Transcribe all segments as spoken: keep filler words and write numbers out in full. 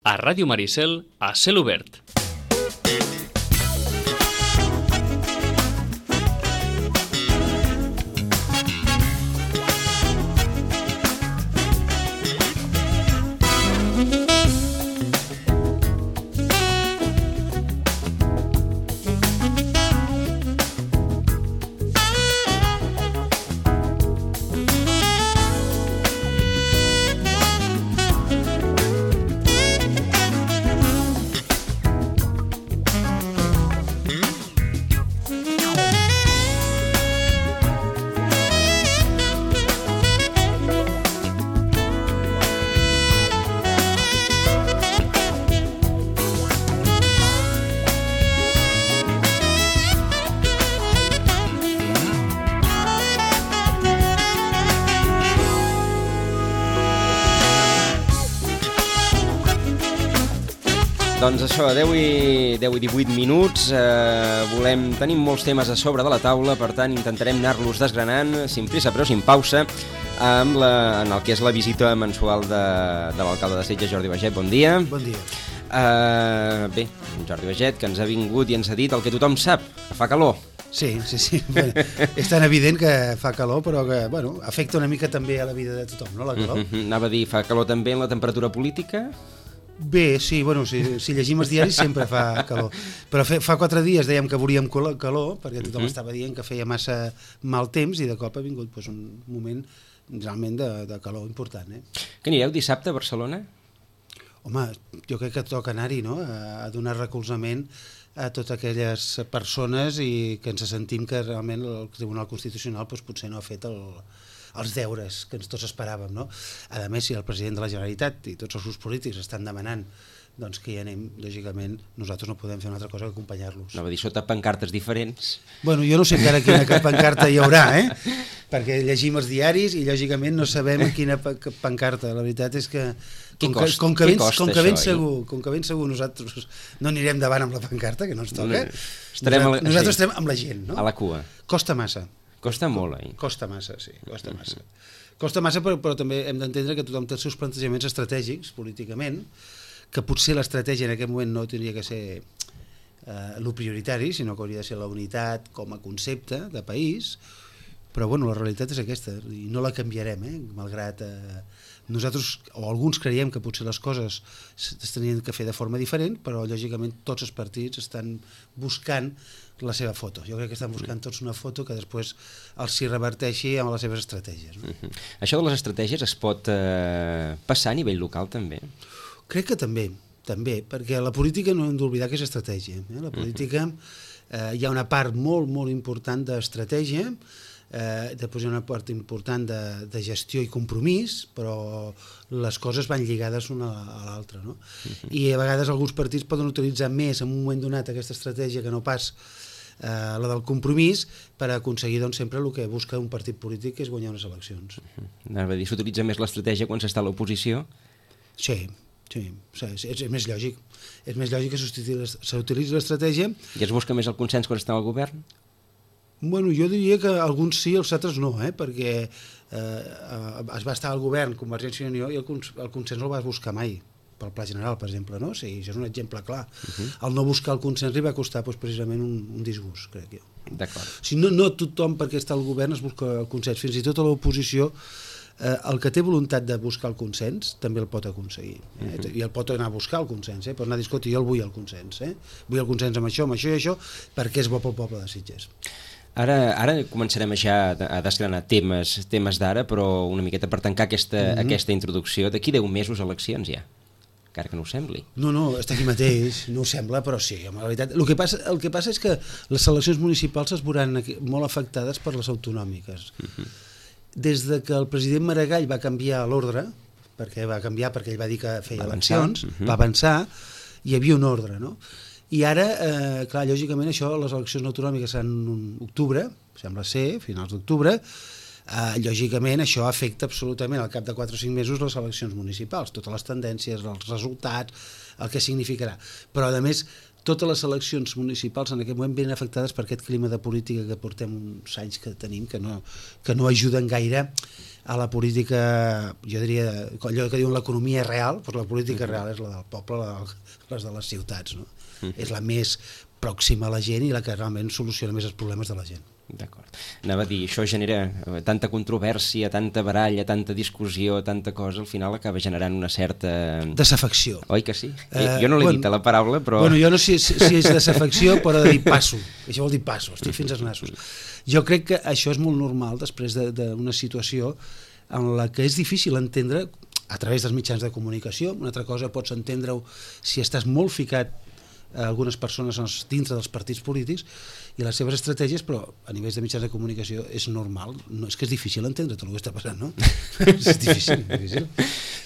A Ràdio Maricel, a cel obert. Doncs això, deu i divuit minuts, eh, volem, tenim molts temes a sobre de la taula, per tant intentarem anar-los desgranant, sin prisa però sin pausa, amb la, en el que és la visita mensual de, de l'alcalde de Sitges, Jordi Baiget. Bon dia. Bon dia. Eh, bé, Jordi Baiget, que ens ha vingut i ens ha dit el que tothom sap, que fa calor. Sí, sí, sí. Bé, és tan evident que fa calor, però que, bueno, afecta una mica també a la vida de tothom, no, la calor? Mm-hmm. Anava a dir, fa calor també en la temperatura política? Bé, sí, bueno, si, si llegim els diaris sempre fa calor, però fe, fa quatre dies dèiem que veuríem calor, perquè tothom uh-huh. estava dient que feia massa mal temps i de cop ha vingut pues, un moment realment de, de calor important. Eh? Que anireu dissabte a Barcelona? Home, jo crec que toca anar-hi, no?, a, a donar recolzament a totes aquelles persones i que ens sentim que realment el Tribunal Constitucional pues, potser no ha fet el... els deures que ens tots esperàvem, no? A més, si el president de la Generalitat i tots els grups polítics estan demanant doncs que hi anem, lògicament, nosaltres no podem fer una altra cosa que acompanyar-los. No, va dir, sota pancartes diferents. Bueno, jo no sé encara quina pancarta hi haurà, eh? Perquè llegim els diaris i, lògicament, no sabem quina pancarta. La veritat és que, com que, com que, ben, com que ben segur, com que ben segur nosaltres no anirem davant amb la pancarta, que no ens toca, estarem nosaltres, a la, nosaltres sí, estem amb la gent, no? A la cua. Costa massa. Costa molt, eh? Costa massa, sí, costa massa. Costa massa, però, però també hem d'entendre que tothom té els seus plantejaments estratègics, políticament, que potser l'estratègia en aquest moment no hauria que ser eh, el prioritari, sinó que hauria de ser la unitat com a concepte de país, però bueno, la realitat és aquesta, i no la canviarem, eh? Malgrat eh, nosaltres, o alguns creiem que potser les coses es tenien que fer de forma diferent, però lògicament tots els partits estan buscant la seva foto. Jo crec que estan buscant tots una foto que després els s'hi reverteixi amb les seves estratègies. No? Uh-huh. Això de les estratègies es pot eh, passar a nivell local també? Crec que també, també, perquè la política no hem d'oblidar que és estratègia. Eh? La política eh, hi ha una part molt, molt important d'estratègia, eh, després hi ha una part important de, de gestió i compromís, però les coses van lligades una a l'altra. No? Uh-huh. I a vegades alguns partits poden utilitzar més en un moment donat aquesta estratègia que no pas Eh, la del compromís per aconseguir doncs, sempre el que busca un partit polític, que és guanyar unes eleccions. Uh-huh. Anava a dir, s'utilitza més l'estratègia quan s'està a l'oposició? Sí, sí, sí és, és més lògic. És més lògic que s'utilitzi l'estratègia. I es busca més el consens quan està al govern? Bueno, jo diria que alguns sí, els altres no, eh? Perquè eh, es va estar al govern Convergència i Unió i el, cons el consens no el va buscar mai, pel pla general, per exemple, no? Sí, això és un exemple clar. Uh-huh. El no buscar el consens li va costar doncs, precisament un, un disgust, crec jo. D'acord. Si no, no tothom, perquè està al govern, es busca el consens. Fins i tot a l'oposició, eh, el que té voluntat de buscar el consens també el pot aconseguir. Eh? Uh-huh. I el pot anar a buscar el consens, eh? Pot anar a dir, escolta, jo el vull el consens. Eh? Vull el consens amb això, amb això i això, perquè és bo pel poble de Sitges. Ara, ara començarem ja a desgranar temes, temes d'ara, però una miqueta per tancar aquesta, uh-huh. aquesta introducció. D'aquí deu mesos eleccions ja. Encara que no ho sembli. No, no, està aquí mateix, no ho sembla, però sí, en realitat. El que passa, el que passa és que les eleccions municipals es veuran molt afectades per les autonòmiques. Uh-huh. Des de que el president Maragall va canviar l'ordre, perquè va canviar perquè ell va dir que feia va eleccions, uh-huh. va avançar, hi havia un ordre, no? I ara, eh, clar, lògicament això, les eleccions autonòmiques seran en octubre, sembla ser, finals d'octubre. Uh, lògicament això afecta absolutament al cap de quatre o cinc mesos les eleccions municipals, totes les tendències, els resultats, el que significarà. Però a més totes les eleccions municipals en aquest moment venen afectades per aquest clima de política que portem uns anys que tenim, que no, que no ajuden gaire a la política, jo diria, allò que diuen l'economia real, doncs la política real és la del poble, la, les de les ciutats, no? Uh-huh. És la més pròxima a la gent i la que realment soluciona més els problemes de la gent. D'acord. Anava a dir, això genera tanta controvèrsia, tanta baralla, tanta discussió, tanta cosa, al final acaba generant una certa... Desafecció. Oi que sí? Eh, jo no l'he bueno, dit a la paraula, però... Bueno, jo no sé si, si és desafecció, però de dir passo. Això vol dir passo, estic fins als nassos. Jo crec que això és molt normal després d'una situació en la que és difícil entendre a través dels mitjans de comunicació. Una altra cosa pots entendre-ho si estàs molt ficat a algunes persones dintre dels partits polítics i les seves estratègies, però a nivells de mitjans de comunicació és normal, no, és que és difícil entendre tot el que està passant, no? És difícil, difícil.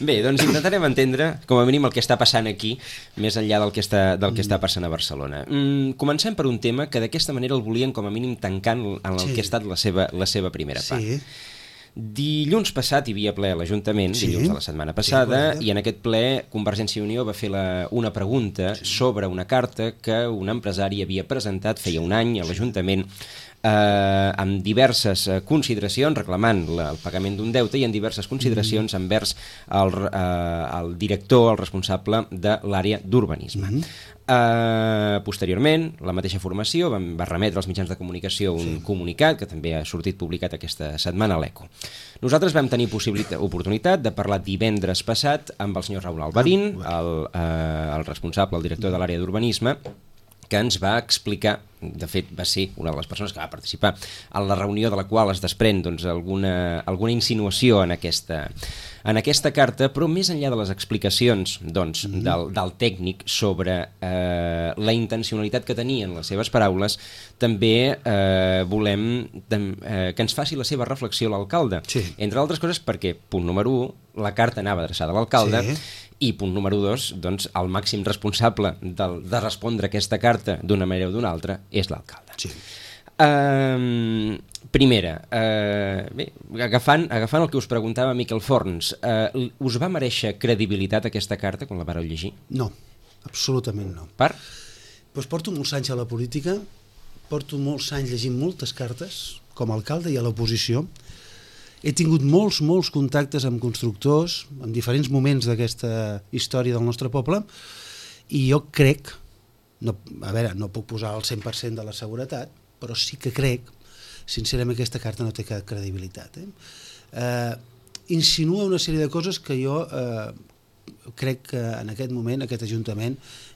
Bé, doncs intentarem entendre com a mínim el que està passant aquí, més enllà del que està, del que està passant a Barcelona. Mm, comencem per un tema que d'aquesta manera el volien com a mínim tancant en el sí. que ha estat la seva, la seva primera part. Sí. Dilluns passat hi havia ple a l'Ajuntament, sí, dilluns de la setmana passada, sí, i en aquest ple Convergència i Unió va fer la, una pregunta sí. sobre una carta que un empresari havia presentat feia un any a l'Ajuntament eh, amb diverses consideracions, reclamant la, el pagament d'un deute i en diverses consideracions mm. envers el, eh, el director, el responsable de l'àrea d'urbanisme. Mm. Uh, posteriorment, la mateixa formació va, va remetre als mitjans de comunicació un sí. comunicat que també ha sortit publicat aquesta setmana a l'Eco. Nosaltres vam tenir oportunitat de parlar divendres passat amb el senyor Raúl Albarín, el, uh, el responsable, el director de l'àrea d'urbanisme, que ens va explicar, de fet va ser una de les persones que va participar en la reunió de la qual es desprèn doncs, alguna, alguna insinuació en aquesta, en aquesta carta, però més enllà de les explicacions doncs, mm-hmm. del, del tècnic sobre eh, la intencionalitat que tenien les seves paraules, també eh, volem eh, que ens faci la seva reflexió l'alcalde. Sí. Entre altres coses perquè, punt número u, la carta anava adreçada a l'alcalde, sí. i punt número dos, doncs, el màxim responsable de, de respondre aquesta carta d'una manera o d'una altra és l'alcalde. Sí. Uh, primera, uh, bé, agafant, agafant el que us preguntava Miquel Forns, uh, us va mereixer credibilitat aquesta carta quan la vareu llegir? No, absolutament no. Per? Pues porto molts anys a la política, porto molts anys llegint moltes cartes, com a alcalde i a l'oposició. He tingut molts, molts contactes amb constructors en diferents moments d'aquesta història del nostre poble i jo crec, no, a veure, no puc posar el cent per cent de la seguretat, però sí que crec, sincerament, que aquesta carta no té cap credibilitat. Eh? Eh, insinua una sèrie de coses que jo eh, crec que en aquest moment aquest Ajuntament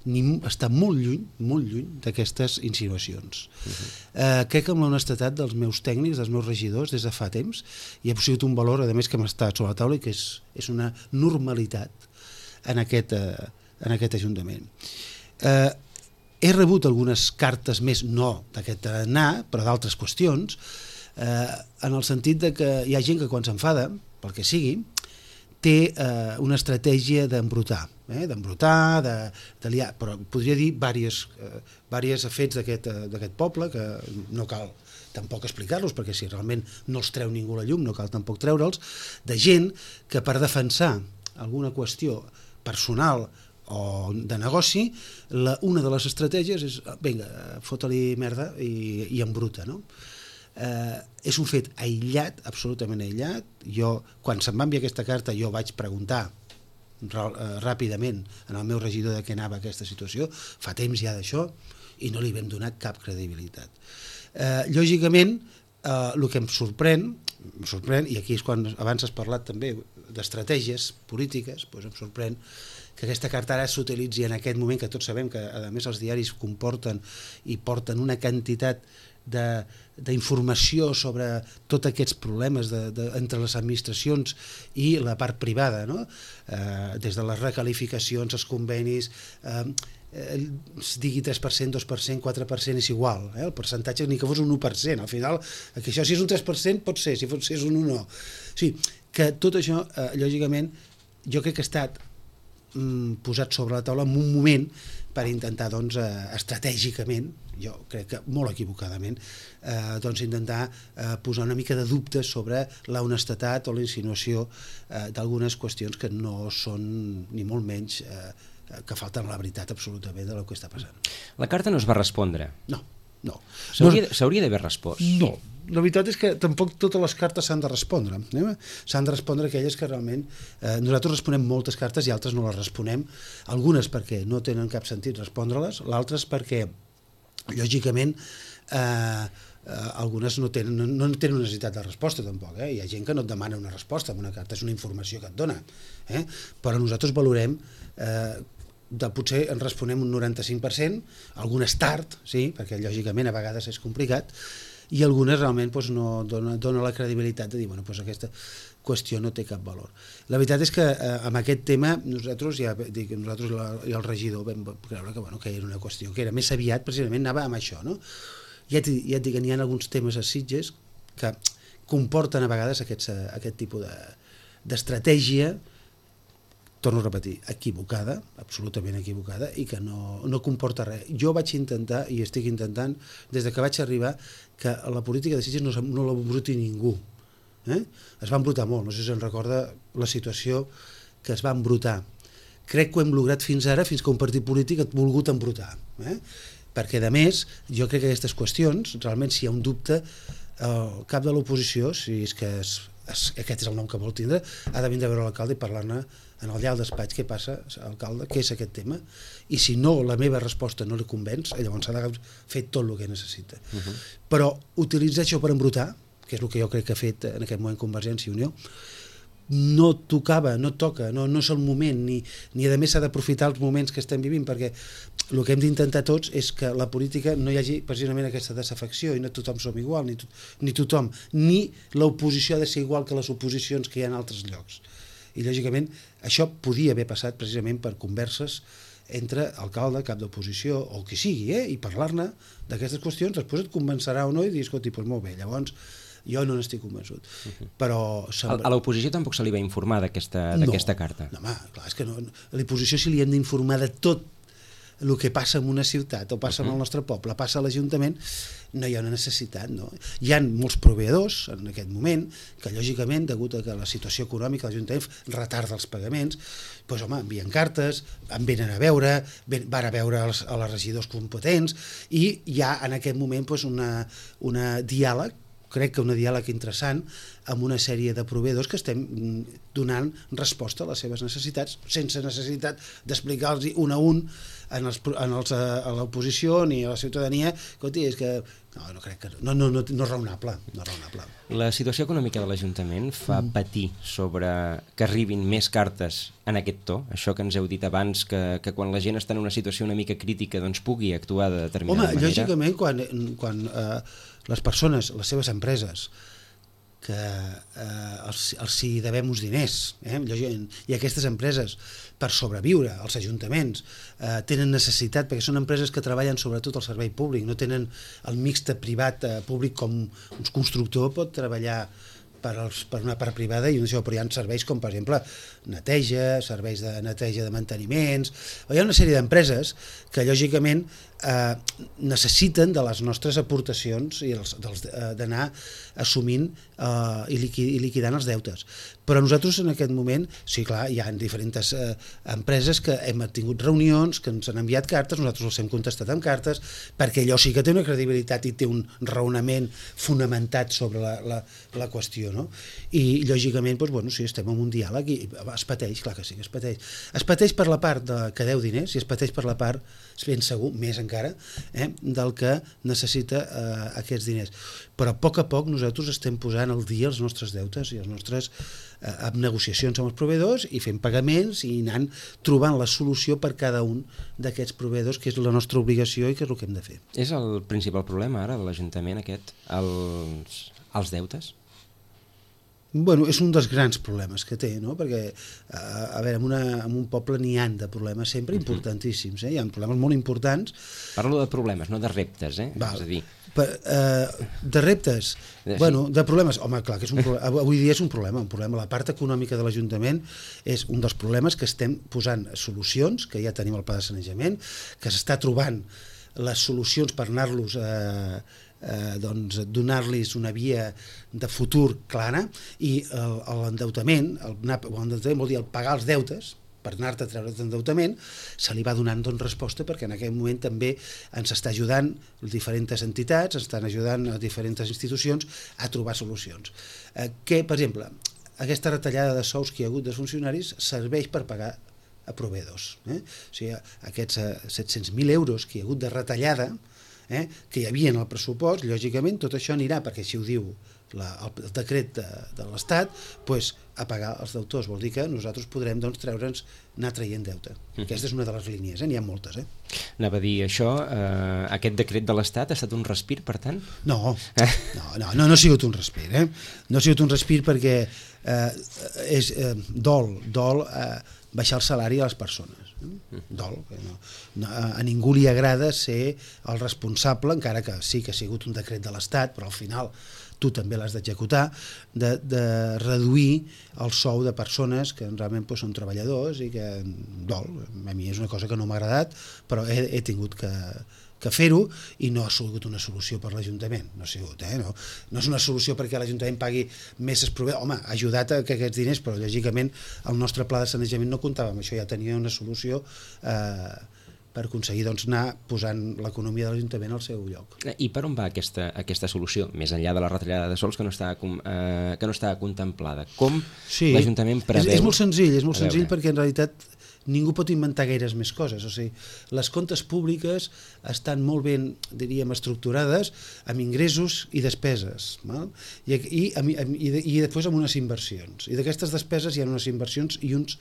ni, està molt lluny, molt lluny d'aquestes insinuacions. Uh-huh. eh, crec que amb l'honestedat dels meus tècnics, dels meus regidors, des de fa temps, hi ha sigut un valor, a més, que m'està sobre la taula i que és, és una normalitat en aquest, eh, en aquest Ajuntament. Eh, he rebut algunes cartes més, no d'aquest anar, però d'altres qüestions, eh, en el sentit de que hi ha gent que quan s'enfada, pel que sigui, té eh, una estratègia d'embrutar, eh, d'embrutar, de, de liar, però podria dir diversos eh, diversos fets d'aquest eh, poble que no cal tampoc explicar-los perquè si realment no els treu ningú a la llum no cal tampoc treure'ls, de gent que per defensar alguna qüestió personal o de negoci, la, una de les estratègies és, vinga, fota-li merda i, i embruta, no? Eh, és un fet aïllat, absolutament aïllat. Jo, quan se'm va enviar aquesta carta, jo vaig preguntar ràpidament en el meu regidor de què anava aquesta situació, fa temps ja d'això, i no li vam donar cap credibilitat. Eh, lògicament, eh, el que em sorprèn, em sorprèn, i aquí és quan abans has parlat també d'estratègies polítiques, doncs em sorprèn que aquesta carta ara s'utilitzi en aquest moment, que tots sabem que a més els diaris comporten i porten una quantitat d'informació sobre tots aquests problemes de, de, entre les administracions i la part privada, no? Eh, des de les recalificacions, els convenis, eh, eh, digui tres per cent, dos per cent, quatre per cent és igual, eh? El percentatge ni que fos un u per cent, al final, que això si és un tres per cent pot ser, si és un u no. O sigui, que tot això, eh, lògicament, jo crec que ha estat mm, posat sobre la taula en un moment per intentar, doncs, eh, estratègicament, jo crec que molt equivocadament, eh, doncs intentar eh, posar una mica de dubtes sobre la honestedat o la insinuació eh, d'algunes qüestions que no són ni molt menys eh, que falten a la veritat absolutament del que està passant. La carta no es va respondre. No. no. S'hauria d'haver respost? No. La veritat és que tampoc totes les cartes s'han de respondre. Eh? S'han de respondre aquelles que realment... Eh, nosaltres responem moltes cartes i altres no les responem. Algunes perquè no tenen cap sentit respondre-les, l'altres perquè, lògicament, eh, eh, algunes no tenen, no, no tenen necessitat de resposta tampoc. Eh? Hi ha gent que no et demana una resposta en una carta, és una informació que et dona. Eh? Però nosaltres valorem... Eh, de potser en responem un noranta-cinc per cent, algunes tard, sí, perquè lògicament a vegades és complicat, i algunes realment doncs, no dona, dona la credibilitat de dir, bueno, doncs aquesta qüestió no té cap valor. La veritat és que eh, amb aquest tema nosaltres, ja dic, nosaltres la, i el regidor vam creure que, bueno, que era una qüestió que era més aviat, precisament anava amb això, no? Ja et, ja et dic que n'hi ha alguns temes a Sitges que comporten a vegades aquests, aquest tipus de, d'estratègia, torno a repetir, equivocada, absolutament equivocada, i que no, no comporta res. Jo vaig intentar, i estic intentant, des de que vaig arribar, que la política de Sitges no, no l'embruti ningú. Eh? Es va embrutar molt, no sé si se'n recorda la situació que es va embrutar. Crec que ho hem lograt fins ara, fins que un partit polític ha volgut embrutar. Eh? Perquè, a més, jo crec que aquestes qüestions, realment, si hi ha un dubte, el cap de l'oposició, si és que es, es, aquest és el nom que vol tindre, ha de vindre a veure l'alcalde i parlar-ne en el llarg despatx, què passa, alcalde, què és aquest tema, i si no, la meva resposta no li convenç, llavors s'ha de fer tot el que necessita. Uh-huh. Però utilitzar això per embrutar, que és el que jo crec que ha fet en aquest moment Convergència i Unió, no tocava, no toca, no, no és el moment, ni, ni a més s'ha d'aprofitar els moments que estem vivint, perquè el que hem d'intentar tots és que la política no hi hagi precisament aquesta desafecció i no tothom som igual, ni, to, ni tothom, ni l'oposició ha de ser igual que les oposicions que hi ha en altres llocs. I lògicament això podia haver passat precisament per converses entre alcalde, cap d'oposició o qui sigui, eh? I parlar-ne d'aquestes qüestions, després et convencerà o no i dir, escolti, doncs molt bé, llavors jo no n'estic convençut. Uh-huh. Però sembla... A l'oposició tampoc se li va informar d'aquesta no, carta? No, home, clar, és que no, a l'oposició si li hem d'informar de tot el que passa en una ciutat o passa uh-huh. en el nostre poble, passa a l'Ajuntament, no hi ha una necessitat, no? Hi ha molts proveïdors en aquest moment que lògicament, degut a que la situació econòmica de l'Ajuntament retarda els pagaments, doncs home, envien cartes, em venen a veure, ven, van a veure els, a les regidors competents i hi ha en aquest moment doncs, una, una diàleg, crec que un diàleg interessant amb una sèrie de proveïdors que estem donant resposta a les seves necessitats sense necessitat d'explicar-los un a un en els, en els, a l'oposició ni a la ciutadania. Escolti, és que no, no crec que no, no, no, no és raonable, no és raonable. La situació econòmica de l'Ajuntament fa mm. patir sobre que arribin més cartes en aquest to, això que ens heu dit abans, que, que quan la gent està en una situació una mica crítica doncs pugui actuar de determinada Home, manera. Home, lògicament, quan, quan eh, les persones, les seves empreses, que eh, els, els hi devem uns diners, eh? I aquestes empreses, per sobreviure, els ajuntaments, eh, tenen necessitat, perquè són empreses que treballen sobretot al servei públic, no tenen el mixte privat eh, públic com un constructor pot treballar per, als, per una part privada i això, però hi ha serveis com, per exemple, neteja, serveis de neteja de manteniments, hi ha una sèrie d'empreses que, lògicament, eh, necessiten de les nostres aportacions i els, dels, eh, d'anar assumint eh, i, liquid, i liquidant els deutes. Però nosaltres en aquest moment, sí, clar, hi ha diferents eh, empreses que hem tingut reunions, que ens han enviat cartes, nosaltres els hem contestat amb cartes, perquè allò sí que té una credibilitat i té un raonament fonamentat sobre la, la, la qüestió, no? I, lògicament, doncs, bueno, sí, estem en un diàleg i es pateix, clar que sí que es pateix. Es pateix per la part de, que deu diners i es pateix per la part, ben segur, més encara, eh, del que necessita eh, aquests diners. Però a poc a poc nosaltres estem posant al dia els nostres deutes i els nostres eh, amb negociacions amb els proveïdors i fent pagaments i anant trobant la solució per cada un d'aquests proveïdors, que és la nostra obligació i que és el que hem de fer. És el principal problema ara de l'Ajuntament aquest, els, els deutes? Bueno, és un dels grans problemes que té, no? Perquè, a veure, en, una, en un poble n'hi han de problemes sempre importantíssims, eh? Hi ha problemes molt importants. Parlo de problemes, no de reptes, eh? Val. És a dir... Per, eh, de reptes, sí. Bueno, de problemes, home, clar, que és un problema, avui dia és un problema, un problema. La part econòmica de l'Ajuntament és un dels problemes que estem posant solucions, que ja tenim el pla de sanejament, que s'està trobant les solucions per anar-los a eh, Eh, doncs, donar-los una via de futur clara i l'endeutament, el, el endeutament vol dir el pagar els deutes, per anar-te a treure d'endeutament, se li va donant doncs, resposta perquè en aquell moment també ens està ajudant diferents entitats, ens estan ajudant a diferents institucions a trobar solucions. Eh, que, per exemple, aquesta retallada de sous que hi ha hagut de funcionaris serveix per pagar a proveïdors. Eh? O sigui, aquests eh, set-cents mil euros que hi ha hagut de retallada, eh, que hi havia en el pressupost, lògicament tot això anirà, perquè així ho diu la, el decret de, de l'Estat, pues, a pagar els deutors. Vol dir que nosaltres podrem doncs, treure'ns, anar traient deute. Mm. Aquesta és una de les línies, eh? N'hi ha moltes. Eh? Anava a dir això, eh, aquest decret de l'Estat ha estat un respir, per tant? No, no, no, no, no ha sigut un respir. Eh? No ha sigut un respir perquè eh, és eh, dol, dol eh, baixar el salari a les persones. Eh? Dol. No, no, a ningú li agrada ser el responsable, encara que sí que ha sigut un decret de l'Estat, però al final tu també l'has d'executar, de, de reduir el sou de persones que realment pues, són treballadors i que dol. A mi és una cosa que no m'ha agradat, però he, he tingut que, que fer-ho i no ha sigut una solució per l'Ajuntament. No ha sigut, eh? No, no és una solució perquè l'Ajuntament pagui més proveïdors. Home, ha ajudat a que aquests diners, però lògicament el nostre pla de sanejament no comptava amb això, ja tenia una solució eh, per aconseguir doncs, anar posant l'economia de l'Ajuntament al seu lloc. I per on va aquesta, aquesta solució, més enllà de la retallada de sous que no està, eh, que no està contemplada? Com sí, l'Ajuntament preveu? És, és molt senzill, és molt senzill perquè en realitat ningú pot inventar gaires més coses. O sigui, les comptes públiques estan molt ben, diríem, estructurades amb ingressos i despeses, val? I, i, i, i després amb unes inversions. I d'aquestes despeses hi ha unes inversions i uns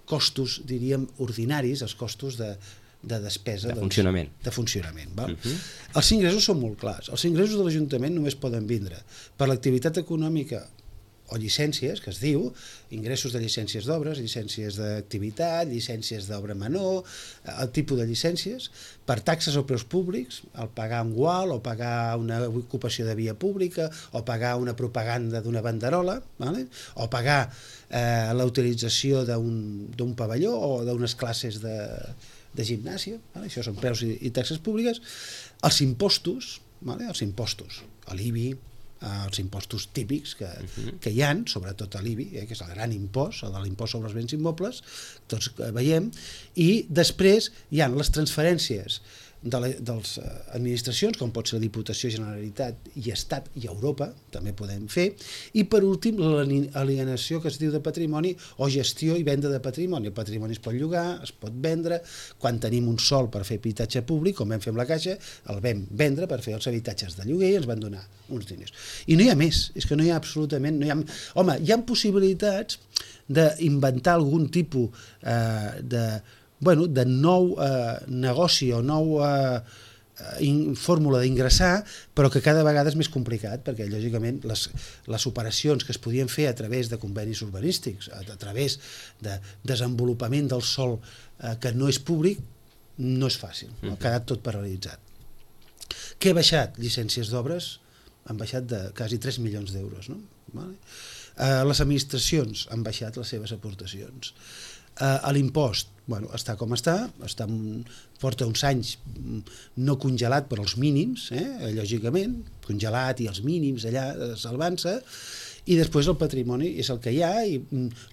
costos, diríem, ordinaris, els costos de de despesa, de funcionament. Doncs, de funcionament val? Uh-huh. Els ingressos són molt clars. Els ingressos de l'Ajuntament només poden vindre per l'activitat econòmica o llicències, que es diu, ingressos de llicències d'obres, llicències d'activitat, llicències d'obra menor, el tipus de llicències, per taxes o preus públics, el pagar un gual, o pagar una ocupació de via pública, o pagar una propaganda d'una banderola, vale? O pagar eh, la utilització d'un pavelló o d'unes classes de de gimnàsia, vale? Això són preus i, i taxes públiques, els impostos, vale? Els impostos, l'I B I, els impostos típics que, uh-huh. que hi ha, sobretot l'I B I, eh, que és el gran impost, el de l'impost sobre els béns immobles, tots veiem, i després hi ha les transferències de les administracions, com pot ser la Diputació, Generalitat i Estat i Europa, també podem fer, i per últim l'alienació que es diu de patrimoni o gestió i venda de patrimoni. El patrimoni es pot llogar, es pot vendre, quan tenim un sòl per fer habitatge públic, com vam fer amb la Caixa, el vam vendre per fer els habitatges de lloguer i ens van donar uns diners. I no hi ha més, és que no hi ha absolutament... No hi ha... Home, hi ha possibilitats d'inventar algun tipus eh, de... Bueno, de nou eh, negoci o nou eh, in, fórmula d'ingressar, però que cada vegada és més complicat, perquè lògicament les, les operacions que es podien fer a través de convenis urbanístics, a, a través de desenvolupament del sòl eh, que no és públic, no és fàcil, no? Ha quedat tot paralitzat. Què ha baixat? Llicències d'obres han baixat de quasi tres milions d'euros, no? Vale? Eh, les administracions han baixat les seves aportacions. Uh, l'impost, bueno, està com està, està porta uns anys no congelat per als mínims, eh, lògicament, congelat i els mínims allà salvant-se, i després el patrimoni és el que hi ha, i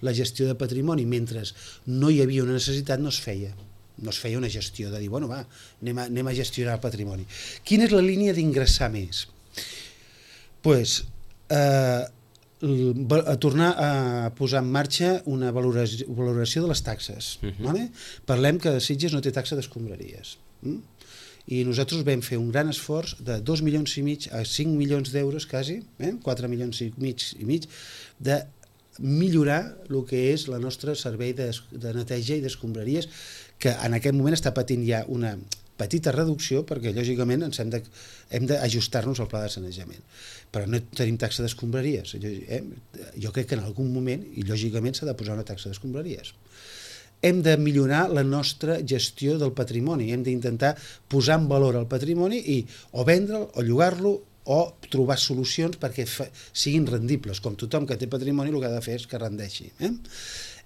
la gestió de patrimoni, mentre no hi havia una necessitat, no es feia. No es feia una gestió de dir, bueno, va, anem a, anem a gestionar el patrimoni. Quina és la línia d'ingressar més? Doncs, pues, eh, a tornar a posar en marxa una valoració, valoració de les taxes. Uh-huh. Vale? Parlem que Sitges no té taxa d'escombraries. Mm? I nosaltres vam fer un gran esforç de dos milions i mig a cinc milions d'euros quasi, eh? quatre milions i mig i mig, de millorar el que és el nostre servei de, de neteja i d'escombraries, que en aquest moment està patint ja una petita reducció, perquè lògicament ens hem de, hem d'ajustar-nos al pla de sanejament. Però no tenim taxa d'escombraries. Jo, eh, jo crec que en algun moment, i lògicament s'ha de posar una taxa d'escombraries. Hem de millorar la nostra gestió del patrimoni, hem d'intentar posar en valor el patrimoni i o vendre'l, o llogar-lo, o trobar solucions perquè fa, siguin rendibles. Com tothom que té patrimoni el que ha de fer és que rendeixi. Eh?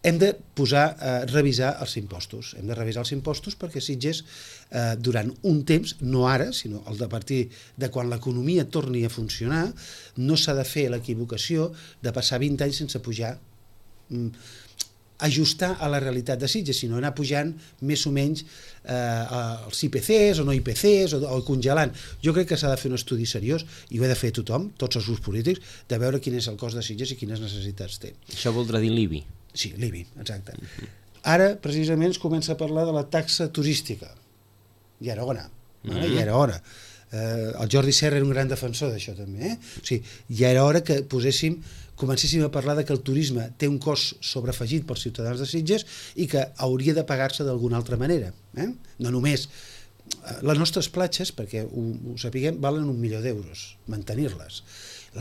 Hem de posar, eh, revisar els impostos. Hem de revisar els impostos perquè Sitges, eh, durant un temps, no ara, sinó el de partir de quan l'economia torni a funcionar, no s'ha de fer l'equivocació de passar vint anys sense pujar mm, ajustar a la realitat de Sitges, sinó anar pujant més o menys eh, els I P Cs o no I P Cs o, o congelant. Jo crec que s'ha de fer un estudi seriós, i ho ha de fer tothom, tots els grups polítics, de veure quin és el cost de Sitges i quines necessitats té. Això voldrà dir l'I B I? Sí, l'I B I, exacte. Uh-huh. Ara, precisament, es comença a parlar de la taxa turística. Ja era hora, uh-huh. eh? ja era hora. Eh, el Jordi Serra era un gran defensor d'això també, eh? O sigui, ja era hora que poséssim, comencéssim a parlar de que el turisme té un cost sobreafegit pels ciutadans de Sitges i que hauria de pagar-se d'alguna altra manera, eh? No només les nostres platges, perquè ho, ho sapiguem, valen un milió d'euros mantenir-les,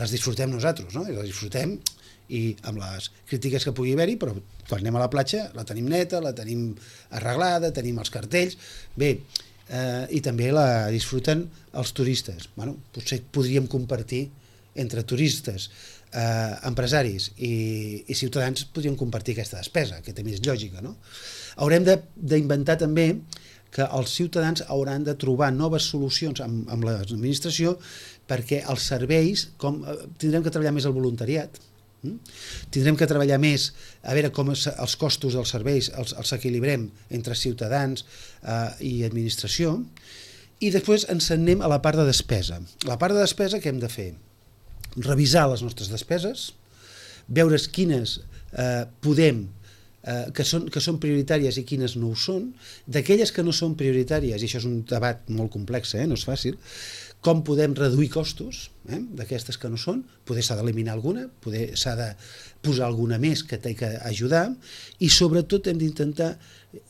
les disfrutem nosaltres, no? I les disfrutem i amb les crítiques que pugui haver-hi, però quan anem a la platja la tenim neta, la tenim arreglada, tenim els cartells, bé, Eh, i també la disfruten els turistes. Bueno, potser podríem compartir entre turistes, eh, empresaris i, i ciutadans, podríem compartir aquesta despesa, que té més lògica, no? Haurem d'inventar també que els ciutadans hauran de trobar noves solucions amb, amb l'administració, perquè els serveis, com, tindrem que treballar més el voluntariat, Mm? Tindrem que treballar més a veure com es, els costos dels serveis els, els equilibrem entre ciutadans eh, i administració, i després ens anem a la part de despesa. La part de despesa que hem de fer? Revisar les nostres despeses, veure quines eh, podem eh, que, són, que són prioritàries i quines no ho són, d'aquelles que no són prioritàries, i això és un debat molt complex, eh? No és fàcil, com podem reduir costos eh, d'aquestes que no són, poder s'ha d'eliminar alguna, poder s'ha de posar alguna més que té que ajudar, i sobretot hem d'intentar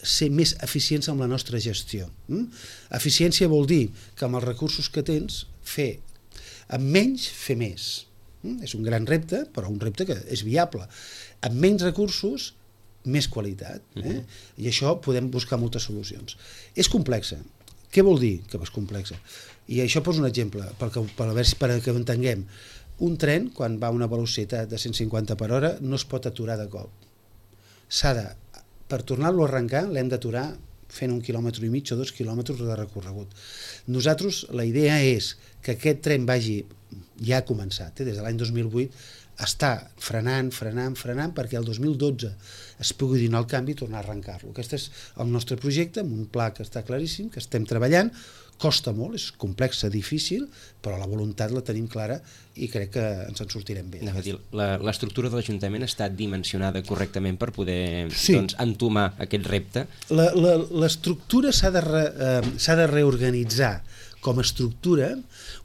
ser més eficients amb la nostra gestió. Mm? Eficiència vol dir que amb els recursos que tens, fer amb menys, fer més. Mm? És un gran repte, però un repte que és viable. Amb menys recursos, més qualitat. Eh? Uh-huh. I això podem buscar moltes solucions. És complexa. Què vol dir que és complexa? I això poso un exemple, perquè, per, a veure, per que ho entenguem. Un tren, quan va a una velocitat de cent cinquanta per hora, no es pot aturar de cop. S'ha de, per tornar-lo a arrencar, l'hem d'aturar fent un quilòmetre i mig o dos quilòmetres de recorregut. Nosaltres, la idea és que aquest tren vagi, ja ha començat, eh, des de l'any dos mil vuit, està frenant, frenant, frenant, perquè el dos mil dotze es pugui donar el canvi i tornar a arrencar-lo. Aquest és el nostre projecte, amb un pla que està claríssim, que estem treballant, costa molt, és complex, difícil, però la voluntat la tenim clara i crec que ens en sortirem bé. L'estructura de l'Ajuntament està dimensionada correctament per poder sí. doncs, entomar aquest repte? L'estructura s'ha de, re, eh, s'ha de reorganitzar com a estructura.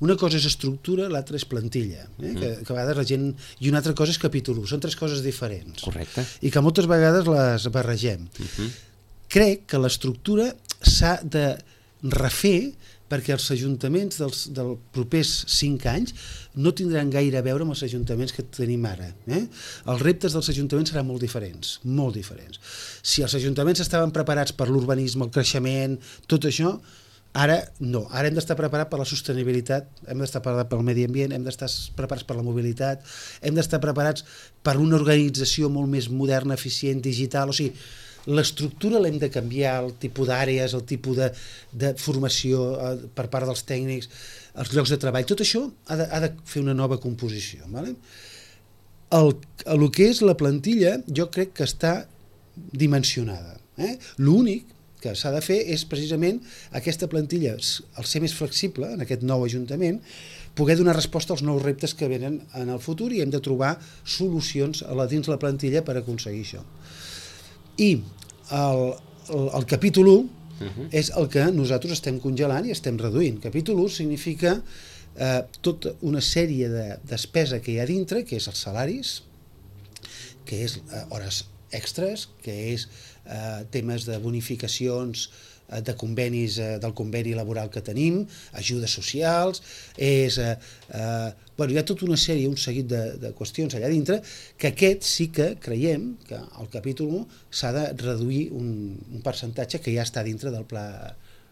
Una cosa és estructura, l'altra és plantilla, eh? mm. que, que a vegades la gent... I una altra cosa és capítol, són tres coses diferents. Correcte. I que moltes vegades les barregem. Uh-huh. Crec que l'estructura s'ha de refer perquè els ajuntaments dels, dels propers cinc anys no tindran gaire a veure amb els ajuntaments que tenim ara. Eh? Els reptes dels ajuntaments seran molt diferents, molt diferents. Si els ajuntaments estaven preparats per l'urbanisme, el creixement, tot això, ara no. Ara hem d'estar preparats per la sostenibilitat, hem d'estar preparats pel medi ambient, hem d'estar preparats per la mobilitat, hem d'estar preparats per una organització molt més moderna, eficient, digital, o sigui, l'estructura l'hem de canviar, el tipus d'àrees, el tipus de, de formació eh, per part dels tècnics, els llocs de treball, tot això ha de, ha de fer una nova composició. Vale? El, el que és la plantilla jo crec que està dimensionada. Eh? L'únic que s'ha de fer és precisament aquesta plantilla, al ser més flexible en aquest nou Ajuntament, poder donar resposta als nous reptes que venen en el futur, i hem de trobar solucions a la, dins la plantilla per aconseguir això. I el, el, el capítol u uh-huh. és el que nosaltres estem congelant i estem reduint. Capítol u significa eh, tota una sèrie de despesa que hi ha dintre, que és els salaris, que és eh, hores extres, que és eh, temes de bonificacions, eh, de convenis, eh, del conveni laboral que tenim, ajudes socials, és, eh, eh, bueno, hi ha tota una sèrie, un seguit de, de qüestions allà dintre, que aquest sí que creiem que el capítol u s'ha de reduir un, un percentatge que ja està dintre del pla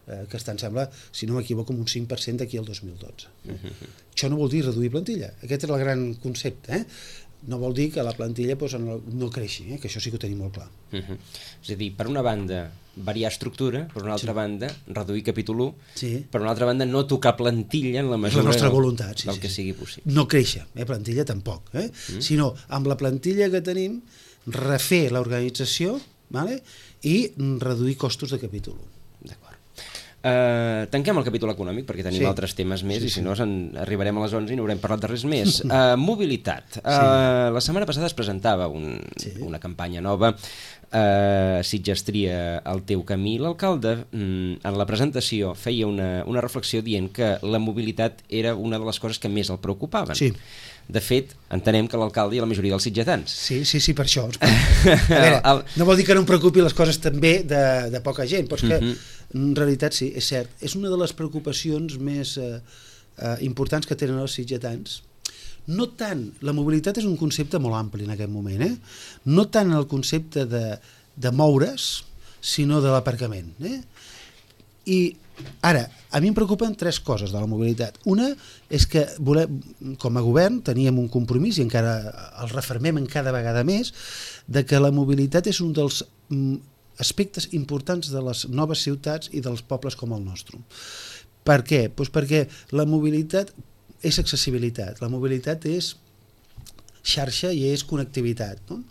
eh, que està, em sembla, si no m'equivoco, un cinc per cent d'aquí al dos mil dotze. Uh-huh. Això no vol dir reduir plantilla, aquest és el gran concepte, eh? No vol dir que la plantilla doncs, no creixi, eh? Que això sí que ho tenim molt clar. Uh-huh. És a dir, per una banda, variar estructura, per una altra sí. banda, reduir capítol u, sí. per una altra banda, no tocar plantilla en la mesura la nostra voluntat, sí, del sí, que sí. sigui possible. No créixer, eh? Plantilla tampoc, eh? Mm. sinó amb la plantilla que tenim refer l'organització, vale? I reduir costos de capítol u. D'acord. Uh, tanquem el capítol econòmic perquè tenim sí. altres temes més sí, i si sí. no arribarem a les onze i no haurem parlat de res més. Uh, mobilitat. Uh, sí. La setmana passada es presentava un, sí. una campanya nova, uh, Sitges tria el teu camí. L'alcalde mm, en la presentació feia una, una reflexió dient que la mobilitat era una de les coses que més el preocupaven. Sí. De fet, entenem que l'alcalde i la majoria dels sitgetans. Sí, sí, sí, per això. A veure, el... no vol dir que no em preocupi les coses també de, de poca gent, però és que uh-huh. en realitat sí, és cert. És una de les preocupacions més eh, eh, importants que tenen els sitgetans. No tant, la mobilitat és un concepte molt ampli en aquest moment, eh? No tant el concepte de, de moure's, sinó de l'aparcament. Eh? I ara, a mi em preocupen tres coses de la mobilitat. Una és que volem, com a govern teníem un compromís, i encara el refermem en cada vegada més, de que la mobilitat és un dels aspectes importants de les noves ciutats i dels pobles com el nostre. Per què? Pues perquè la mobilitat és accessibilitat, la mobilitat és xarxa i és connectivitat. No?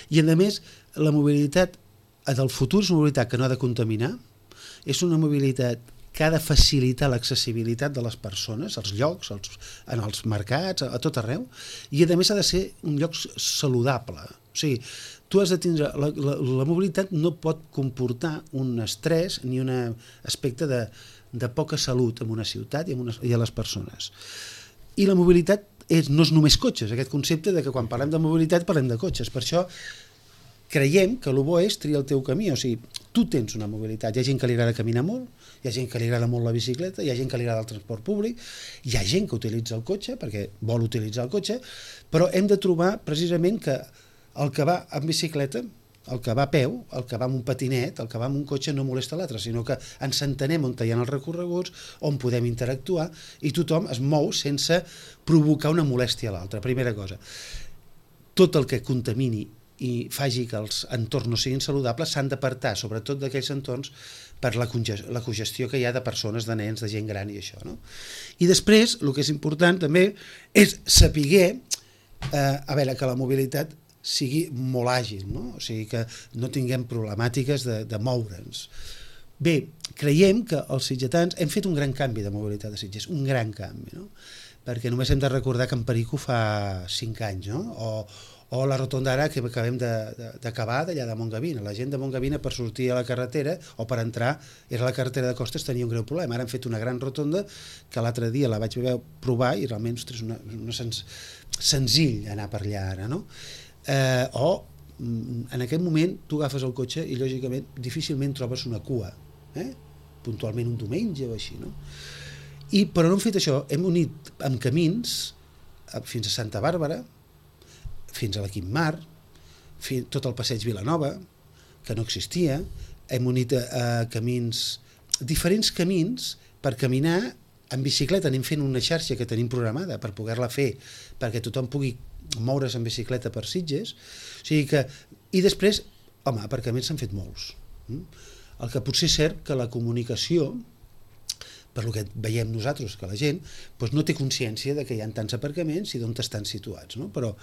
I a més, la mobilitat del futur és una mobilitat que no ha de contaminar, és una mobilitat que ha de facilitar l'accessibilitat de les persones, als llocs, als, en els mercats, a, a tot arreu, i a més ha de ser un lloc saludable. O sigui, tu has de tindre... La, la, la mobilitat no pot comportar un estrès ni un aspecte de, de poca salut en una ciutat i, en una, i a les persones. I la mobilitat és, no és només cotxes, aquest concepte de que quan parlem de mobilitat parlem de cotxes. Per això creiem que el bo és triar el teu camí, o sigui, tu tens una mobilitat, hi ha gent que li agrada caminar molt, hi ha gent que li agrada molt la bicicleta, hi ha gent que li agrada el transport públic, hi ha gent que utilitza el cotxe perquè vol utilitzar el cotxe, però hem de trobar precisament que el que va amb bicicleta, el que va a peu, el que va amb un patinet, el que va amb un cotxe no molesta l'altre, sinó que ens entenem on hi ha els recorreguts, on podem interactuar i tothom es mou sense provocar una molèstia a l'altre. Primera cosa, tot el que contamini i faci que els entorns no siguin saludables s'han d'apartar, sobretot d'aquells entorns, per la, la congestió que hi ha de persones, de nens, de gent gran i això. No? I després, el que és important també és saber eh, a veure, que la mobilitat sigui molt àgil, no? O sigui, que no tinguem problemàtiques de, de moure'ns. Bé, creiem que els sitgetans hem fet un gran canvi de mobilitat a Sitges, un gran canvi, no? Perquè només hem de recordar que en Perico fa cinc anys, no? O, o la rotonda ara que acabem d'acabar d'allà de Montgavina. La gent de Montgavina per sortir a la carretera o per entrar, era la carretera de Costes, tenia un greu problema. Ara han fet una gran rotonda que l'altre dia la vaig provar i realment ostres, una, una sens, senzill anar per allà ara, no? Eh, o en aquest moment tu agafes el cotxe i lògicament difícilment trobes una cua, eh? Puntualment un diumenge o així, no? I, però no hem fet això, hem unit amb camins fins a Santa Bàrbara, fins a la Quimmar, tot el passeig Vilanova, que no existia, hem unit a, a camins, diferents camins per caminar en bicicleta, anem fent una xarxa que tenim programada per poder-la fer, perquè tothom pugui moure's en bicicleta per Sitges, o sigui que, i després, home, aparcaments s'han fet molts. El que potser és cert que la comunicació, per el que veiem nosaltres, que la gent doncs no té consciència de que hi ha tants aparcaments i d'on estan situats, no? Però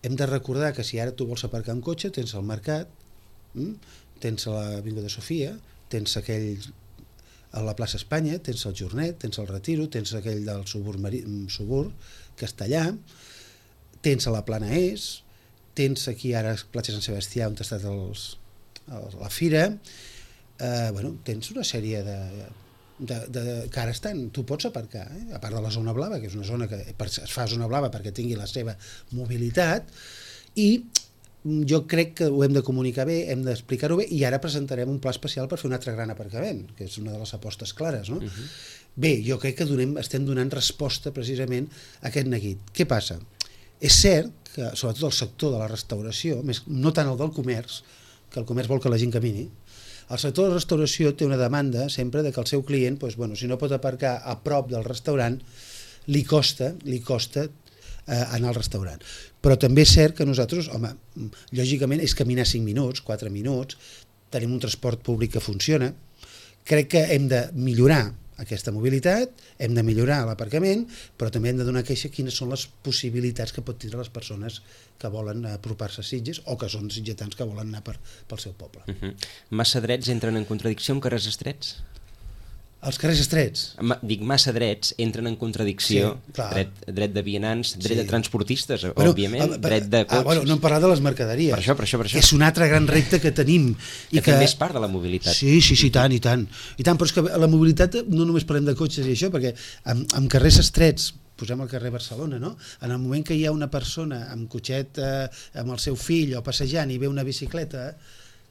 hem de recordar que si ara tu vols aparcar un cotxe, tens el Mercat, tens l'Avinguda de Sofia, tens aquell a la plaça Espanya, tens el Jornet, tens el Retiro, tens aquell del Subur Castellà, tens a la Plana Est, tens aquí ara a Platja Sant Sebastià on ha estat els, els, la fira, eh, bueno, tens una sèrie de... De, de, que ara estan, tu pots aparcar, eh? A part de la zona blava, que és una zona que es fa zona blava perquè tingui la seva mobilitat, i jo crec que ho hem de comunicar bé, hem d'explicar-ho bé, i ara presentarem un pla especial per fer un altre gran aparcament, que és una de les apostes clares, no? Uh-huh. Bé, jo crec que donem, estem donant resposta precisament a aquest neguit. Què passa? És cert que, sobretot el sector de la restauració, més, no tant el del comerç, que el comerç vol que la gent camini, el sector de la restauració té una demanda sempre de que el seu client, doncs, bueno, si no pot aparcar a prop del restaurant, li costa, li costa eh, anar al restaurant. Però també és cert que nosaltres, home, lògicament és caminar cinc minuts, quatre minuts, tenim un transport públic que funciona, crec que hem de millorar aquesta mobilitat, hem de millorar l'aparcament, però també hem de donar queixa quines són les possibilitats que pot tindre les persones que volen apropar-se a Sitges o que són sitgetans que volen anar per, pel seu poble. Uh-huh. Massa drets entren en contradicció amb carrers estrets? Els carrers estrets. Ma, dic, massa drets entren en contradicció, sí, dret, dret de vianants, dret sí. de transportistes, bueno, òbviament, a, a, dret de cotxes... Ah, bueno, no hem parlat de les mercaderies, per això, per això, per això. que és un altre gran repte que tenim. I que, que també és part de la mobilitat. Sí, sí, sí, tant, i tant. I tant, però és que la mobilitat no només parlem de cotxes i això, perquè amb, amb carrers estrets, posem al carrer Barcelona, no? En el moment que hi ha una persona amb cotxet eh, amb el seu fill o passejant i ve una bicicleta,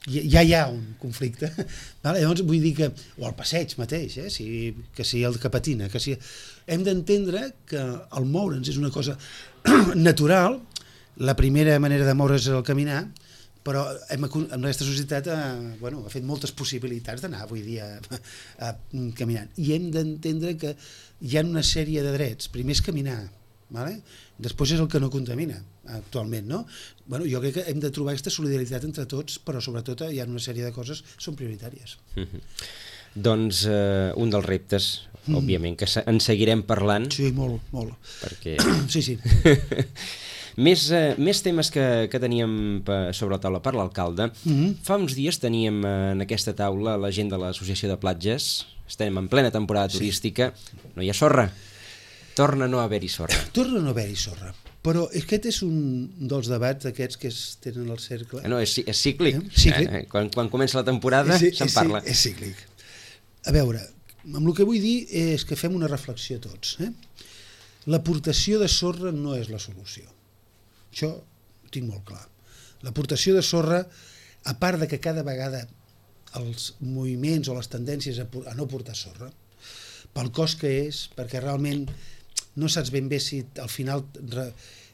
ja hi ha un conflicte, vale? Llavors vull dir que, o el passeig mateix, eh? si, que si el que patina, que si... hem d'entendre que el moure'ns és una cosa natural, la primera manera de moure's és el caminar, però hem, en aquesta societat eh, bueno, ha fet moltes possibilitats d'anar avui dia a, a, caminant, i hem d'entendre que hi ha una sèrie de drets. Primer és caminar, vale? Després és el que no contamina actualment, no? Bueno, jo crec que hem de trobar aquesta solidaritat entre tots, però sobretot hi ha una sèrie de coses que són prioritàries. Mm-hmm. Doncs eh, un dels reptes, mm. òbviament, que en seguirem parlant. Sí, molt, molt. Perquè... sí, sí. més, eh, més temes que, que teníem sobre la taula per l'alcalde. Mm-hmm. Fa uns dies teníem en aquesta taula la gent de l'Associació de Platges. Estem en plena temporada turística. Sí. No hi ha sorra. Torna a no haver-hi sorra. Torna a no haver-hi sorra. Però aquest és un dels debats aquests que es tenen al cercle. No, és, és cíclic. Eh? Cíclic. Eh? Quan, quan comença la temporada sí, se'n parla. Sí, és cíclic. A veure, amb el que vull dir és que fem una reflexió tots. Eh? L'aportació de sorra no és la solució. Això ho tinc molt clar. L'aportació de sorra, a part de que cada vegada els moviments o les tendències a, a no portar sorra, pel cost que és, perquè realment no saps ben bé si al final,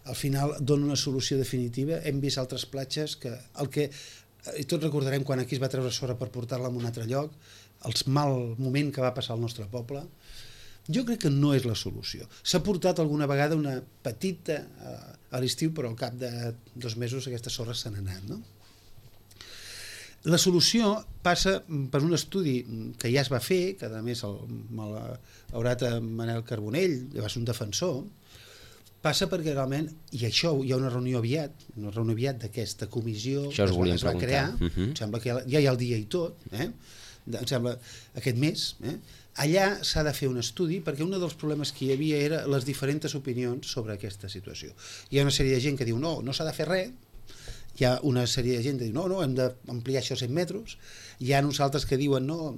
al final dona una solució definitiva. Hem vist altres platges que, el que i tots recordarem quan aquí es va treure sorra per portar-la a un altre lloc, el mal moment que va passar al nostre poble. Jo crec que no és la solució. S'ha portat alguna vegada una petita a l'estiu, però al cap de dos mesos aquesta sorra se n'ha anat, no? La solució passa per un estudi que ja es va fer, que a més el, el haurat Manel Carbonell, que va ser un defensor, passa perquè realment, i això hi ha una reunió aviat, una reunió aviat d'aquesta comissió que es, es va crear, uh -huh. em sembla que ja, ja hi ha el dia i tot, eh? em sembla aquest mes, eh? Allà s'ha de fer un estudi, perquè un dels problemes que hi havia era les diferents opinions sobre aquesta situació. Hi ha una sèrie de gent que diu no, no s'ha de fer res, hi ha una sèrie de gent que diu no, no, hem d'ampliar això a cent metres, hi ha uns altres que diuen no,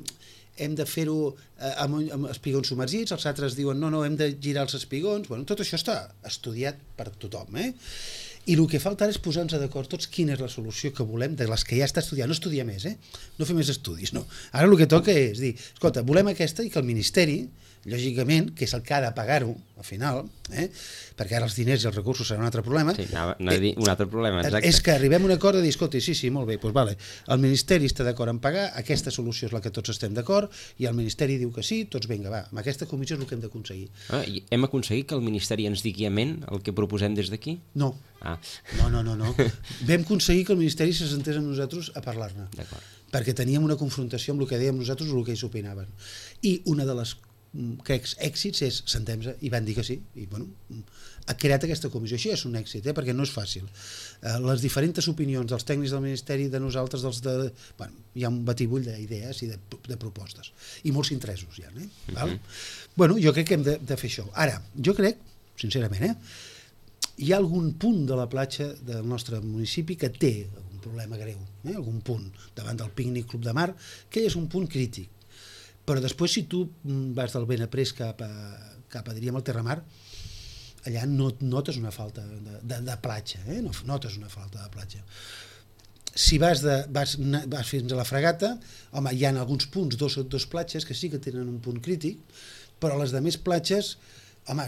hem de fer-ho amb, amb espigons submergits, els altres diuen no, no, hem de girar els espigons. Bueno, tot això està estudiat per tothom, eh? I el que falta ara és posar-nos d'acord tots quina és la solució que volem de les que ja està estudiant, no estudiar més, eh? No fer més estudis, no. Ara el que toca és dir, escolta, volem aquesta i que el Ministeri, lògicament, que és el que ha de pagar-ho al final, eh? Perquè ara els diners i els recursos seran un altre problema. Sí, no, no eh, un altre problema, exacte. És que arribem a un acord de dir, escolta, sí, sí, molt bé, doncs vale, el Ministeri està d'acord en pagar, aquesta solució és la que tots estem d'acord, i el Ministeri diu que sí, tots vinga, va, amb aquesta comissió és el que hem d'aconseguir. Ah, i hem aconseguit que el Ministeri ens digui amén el que proposem des d'aquí? No. Ah. No, no, no, no. Vam aconseguir que el Ministeri se sentés amb nosaltres a parlar-ne. D'acord. Perquè teníem una confrontació amb el que dèiem nosaltres i el que ells opinaven. I una de les crec, èxits és, sentem-se, i van dir que sí, i bueno, ha creat aquesta comissió. Això és un èxit, eh? Perquè no és fàcil. Eh, les diferents opinions dels tècnics del Ministeri, de nosaltres, dels de... Bueno, hi ha un batibull d'idees i de, de propostes. I molts interessos hi ha, eh? Uh-huh. Val? Bueno, jo crec que hem de, de fer això. Ara, jo crec, sincerament, eh? Hi ha algun punt de la platja del nostre municipi que té un problema greu, eh? Algun punt, davant del Pícnic Club de Mar, que és un punt crític. Però després, si tu vas del Benaprés cap a, cap a diríem, al Terramar, allà no notes una falta de, de, de platja, eh? No notes una falta de platja. Si vas, de, vas, vas fins a la Fragata, home, hi ha alguns punts, dos, dos platges que sí que tenen un punt crític, però les de més platges, home,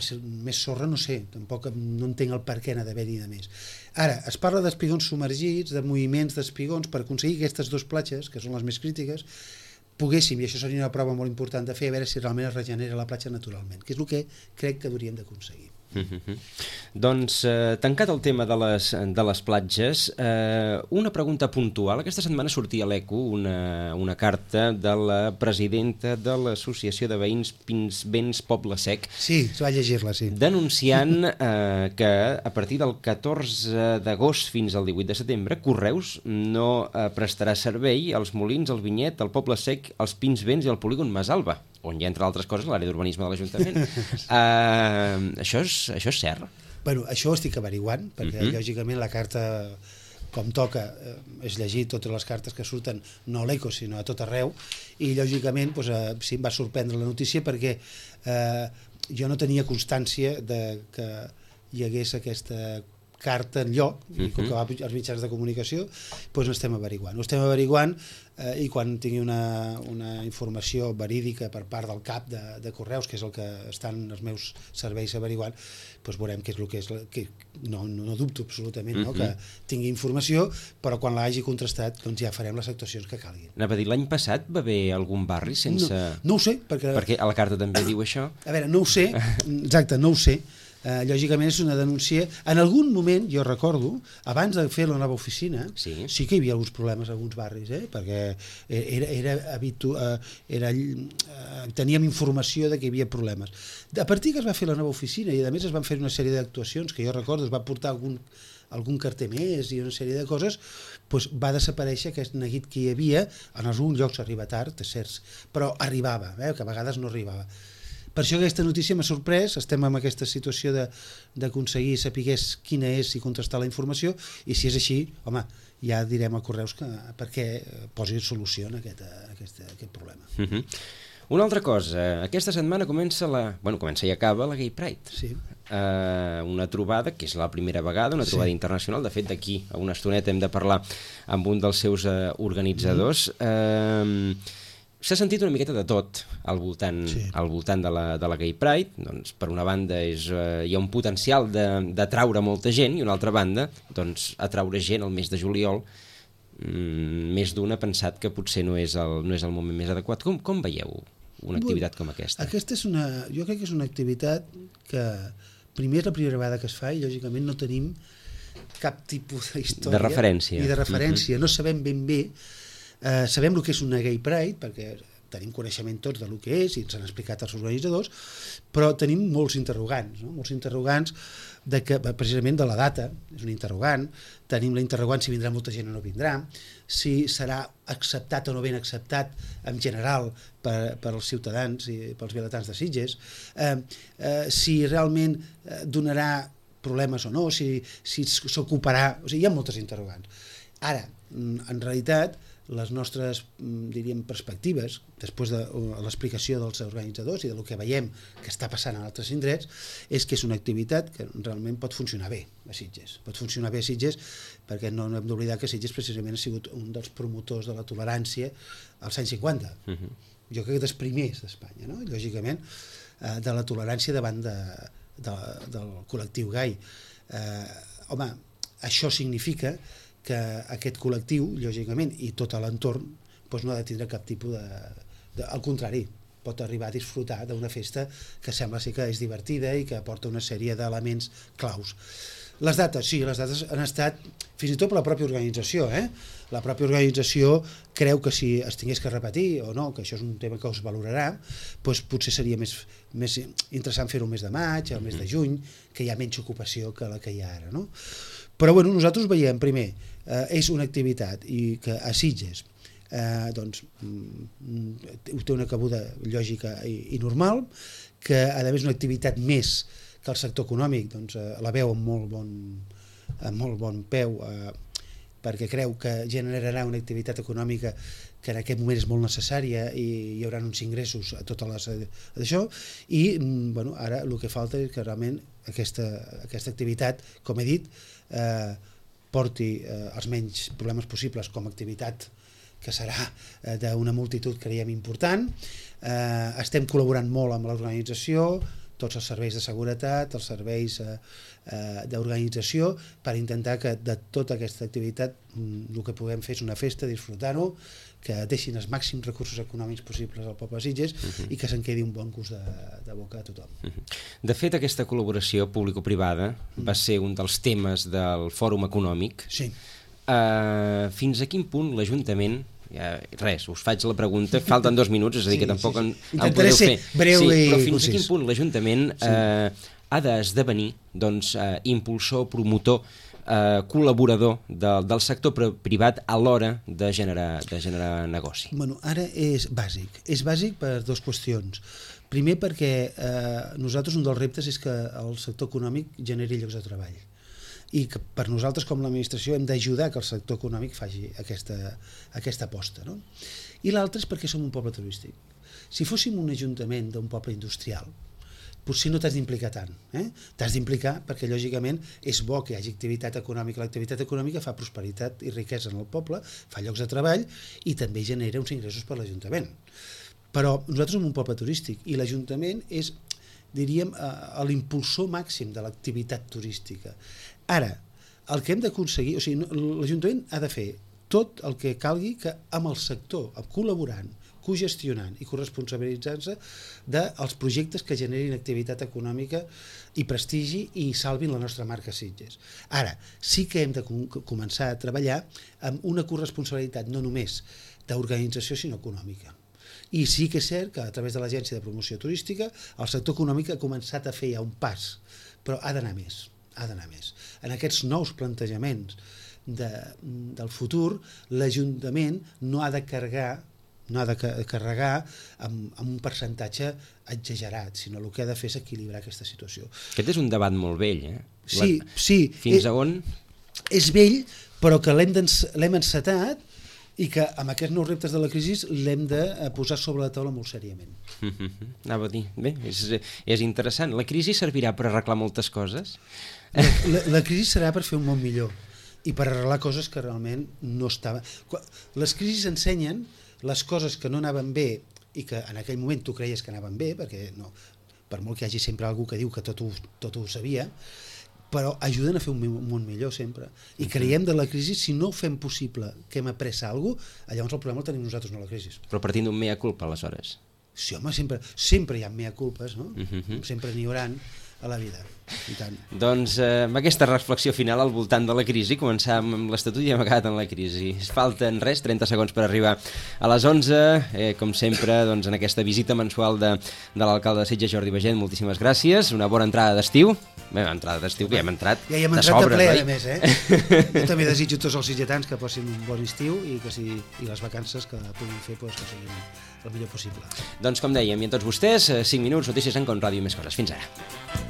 més sorra no sé, tampoc no entenc el per què n'ha d'haver-hi de més. Ara, es parla d'espigons submergits, de moviments d'espigons, per aconseguir aquestes dues platges, que són les més crítiques, poguéssim, i això seria una prova molt important de fer, a veure si realment es regenera la platja naturalment, que és el que crec que hauríem d'aconseguir. Mm-hmm. Doncs, eh, tancat el tema de les, de les platges, eh, una pregunta puntual. Aquesta setmana sortia a l'Eco una, una carta de la presidenta de l'Associació de Veïns Pinsbens Poble Sec. Sí, se va llegir-la, sí. Denunciant eh, que a partir del catorze d'agost fins al divuit de setembre, Correus no eh, prestarà servei als Molins, al Vinyet, al Poble Sec, als Pinsbens i al polígon Masalba, on hi ha, entre altres coses, l'àrea d'urbanisme de l'Ajuntament. uh, això, és, això és cert? Bueno, això ho estic averiguant, perquè uh-huh. lògicament la carta, com toca, eh, és llegir totes les cartes que surten, no a l'Eco, sinó a tot arreu, i lògicament doncs, eh, sí, em va sorprendre la notícia perquè eh, jo no tenia constància de que hi hagués aquesta carta enlloc, uh-huh. i com que va als mitjans de comunicació, doncs ho estem averiguant. Ho estem averiguant eh, i quan tingui una, una informació verídica per part del cap de, de Correus, que és el que estan els meus serveis averiguant, doncs veurem què és el que és, que no, no dubto absolutament no, uh-huh. que tingui informació, però quan l'hagi contrastat doncs ja farem les actuacions que calguin. Anava a dir, l'any passat va haver algun barri sense... No, no ho sé, perquè... Perquè a la carta també diu això. A veure, no ho sé, exacte, no ho sé. Uh, lògicament és una denúncia. En algun moment, jo recordo, abans de fer la nova oficina, sí, sí que hi havia alguns problemes a alguns barris, eh? Perquè era, era, habitu, uh, era, uh, teníem informació de que hi havia problemes. A partir que es va fer la nova oficina i a més es van fer una sèrie d'actuacions que jo recordo, es va portar algun, algun carter més i una sèrie de coses, doncs va desaparèixer aquest neguit que hi havia. En alguns llocs arriba tard, és cert, però arribava, eh? Que a vegades no arribava. Per això aquesta notícia m'ha sorprès, estem en aquesta situació d'aconseguir saber quina és i contrastar la informació, i si és així, home, ja direm a Correus que, perquè posi solució a aquest, a aquest, a aquest problema. Uh-huh. Una altra cosa, aquesta setmana comença la... Bueno, comença i acaba la Gay Pride. Sí. Uh, una trobada, que és la primera vegada, una trobada sí. internacional. De fet, d'aquí a una estoneta hem de parlar amb un dels seus uh, organitzadors. Mm. Uh, S'ha sentit una miqueta de tot al voltant, sí. al voltant de, la, de la Gay Pride. Doncs, per una banda, és, eh, hi ha un potencial d'atraure molta gent, i una altra banda, doncs, atraure gent el mes de juliol. Mm, més d'un ha pensat que potser no és el, no és el moment més adequat. Com, com veieu una activitat com aquesta? Aquesta és una, jo crec que és una activitat que primer és la primera vegada que es fa i lògicament no tenim cap tipus d'història de referència. Ni de referència. Uh-huh. No sabem ben bé. Uh, sabem el que és una Gay Pride, perquè tenim coneixement tots del que és i ens han explicat els organitzadors, però tenim molts interrogants, no? Molts interrogants de que, precisament de la data, és un interrogant, tenim la interrogant si vindrà molta gent o no vindrà, si serà acceptat o no ben acceptat en general per, per als ciutadans i pels vilatans de Sitges, eh, eh, si realment eh, donarà problemes o no, si s'ocuparà, o sigui, hi ha moltes interrogants. Ara, en realitat, les nostres, diríem, perspectives, després de l'explicació dels organitzadors i del que veiem que està passant en altres indrets, és que és una activitat que realment pot funcionar bé a Sitges. Pot funcionar bé a Sitges perquè no hem d'oblidar que Sitges precisament ha sigut un dels promotors de la tolerància als anys cinquanta. Uh-huh. Jo crec que dels primers d'Espanya, no? Lògicament, de la tolerància davant de, de, del col·lectiu gai. Eh, home, això significa que aquest col·lectiu, lògicament, i tot l'entorn, doncs no ha de tindre cap tipus de, de... Al contrari, pot arribar a disfrutar d'una festa que sembla ser que és divertida i que aporta una sèrie d'elements claus. Les dates, sí, les dates han estat, fins i tot per la pròpia organització, eh? La pròpia organització creu que si es tingués que repetir o no, que això és un tema que es valorarà, doncs potser seria més, més interessant fer-ho el mes de maig, el mes de juny, que hi ha menys ocupació que la que hi ha ara, no? Però bueno, nosaltres veiem, primer, eh, és una activitat i que a Sitges eh, doncs, mm, té una cabuda lògica i, i normal, que a més una activitat més que el sector econòmic doncs, eh, la veu amb molt bon, amb molt bon peu, eh, perquè creu que generarà una activitat econòmica que en aquest moment és molt necessària i hi haurà uns ingressos a totes les d'això, i bueno, ara el que falta és que realment aquesta, aquesta activitat, com he dit, eh, porti eh, els menys problemes possibles com a activitat que serà eh, d'una multitud, creiem, important. Eh, estem col·laborant molt amb l'organització, tots els serveis de seguretat, els serveis eh, eh, d'organització, per intentar que de tota aquesta activitat mm, el que puguem fer és una festa, disfrutar-ho, que deixin els màxims recursos econòmics possibles al poble de Sitges uh-huh. i que se'n quedi un bon gust de, de boca a tothom. Uh-huh. De fet, aquesta col·laboració público-privada uh-huh. va ser un dels temes del Fòrum Econòmic. Sí. Uh, fins a quin punt l'Ajuntament... Ja, res, us faig la pregunta, falten dos minuts, és a dir, sí, que tampoc sí, sí. en, en podeu fer. Breu sí, i però fins concís. a quin punt l'Ajuntament sí. eh, ha d'esdevenir doncs, eh, impulsor, promotor, eh, col·laborador de, del sector privat a l'hora de generar, de generar negoci? Bueno, ara és bàsic. És bàsic per dues qüestions. Primer perquè eh, nosaltres un dels reptes és que el sector econòmic generi llocs de treball. I que per nosaltres com l'administració hem d'ajudar que el sector econòmic faci aquesta, aquesta aposta, no? I l'altre és perquè som un poble turístic. Si fóssim un ajuntament d'un poble industrial, potser no t'has d'implicar tant. Eh? T'has d'implicar perquè, lògicament, és bo que hi hagi activitat econòmica. L'activitat econòmica fa prosperitat i riquesa en el poble, fa llocs de treball i també genera uns ingressos per l'Ajuntament. Però nosaltres som un poble turístic i l'Ajuntament és, diríem, l'impulsor màxim de l'activitat turística. Ara, el que hem d'aconseguir, o sigui, l'Ajuntament ha de fer tot el que calgui que amb el sector, col·laborant, cogestionant i corresponsabilitzant-se dels projectes que generin activitat econòmica i prestigi i salvin la nostra marca Sitges. Ara, sí que hem de començar a treballar amb una corresponsabilitat no només d'organització sinó econòmica. I sí que és cert que a través de l'Agència de Promoció Turística el sector econòmic ha començat a fer ja un pas, però ha d'anar més. ha d'anar més. En aquests nous plantejaments de, del futur, l'Ajuntament no ha de carregar no ha de carregar amb, amb un percentatge exagerat, sinó el que ha de fer és equilibrar aquesta situació. Aquest és un debat molt vell, eh? Sí, La... sí. Fins és, a on? És vell, però que l'hem, l'hem encetat i que amb aquests nous reptes de la crisi l'hem de posar sobre la taula molt seriament. Mm-hmm. Anava a dir, bé, és, és interessant. La crisi servirà per arreglar moltes coses? La, la, la crisi serà per fer un món millor i per arreglar coses que realment no estaven... Les crisis ensenyen les coses que no anaven bé i que en aquell moment tu creies que anaven bé, perquè no, per molt que hi hagi sempre algú que diu que tot ho, tot ho sabia, però ajuden a fer un món millor sempre. I creiem de la crisi, si no fem possible que hem après alguna cosa, llavors el problema el tenim nosaltres, no la crisi. Però partint d'un mea culpa, aleshores? Sí, home, sempre, sempre hi ha mea culpes, no? Uh-huh. Sempre n'hi hauran a la vida, i tant. Doncs eh, amb aquesta reflexió final al voltant de la crisi, començàvem amb l'Estatut i hem acabat amb la crisi. Falten res, trenta segons per arribar a les onze, eh, com sempre, doncs, en aquesta visita mensual de, de l'alcalde de Sitges, Jordi Bagent, moltíssimes gràcies, una bona entrada d'estiu, bé, entrada d'estiu, que ja hem entrat ja hi hem de entrat sobres, de ple, oi? a més, eh? Jo també desitjo a tots els sitgetans que passin un bon estiu i que si, i les vacances que puguin fer pues, que siguin el millor possible. Doncs com dèiem, i a tots vostès, cinc minuts, notícies en Com Ràdio i més coses. Fins ara.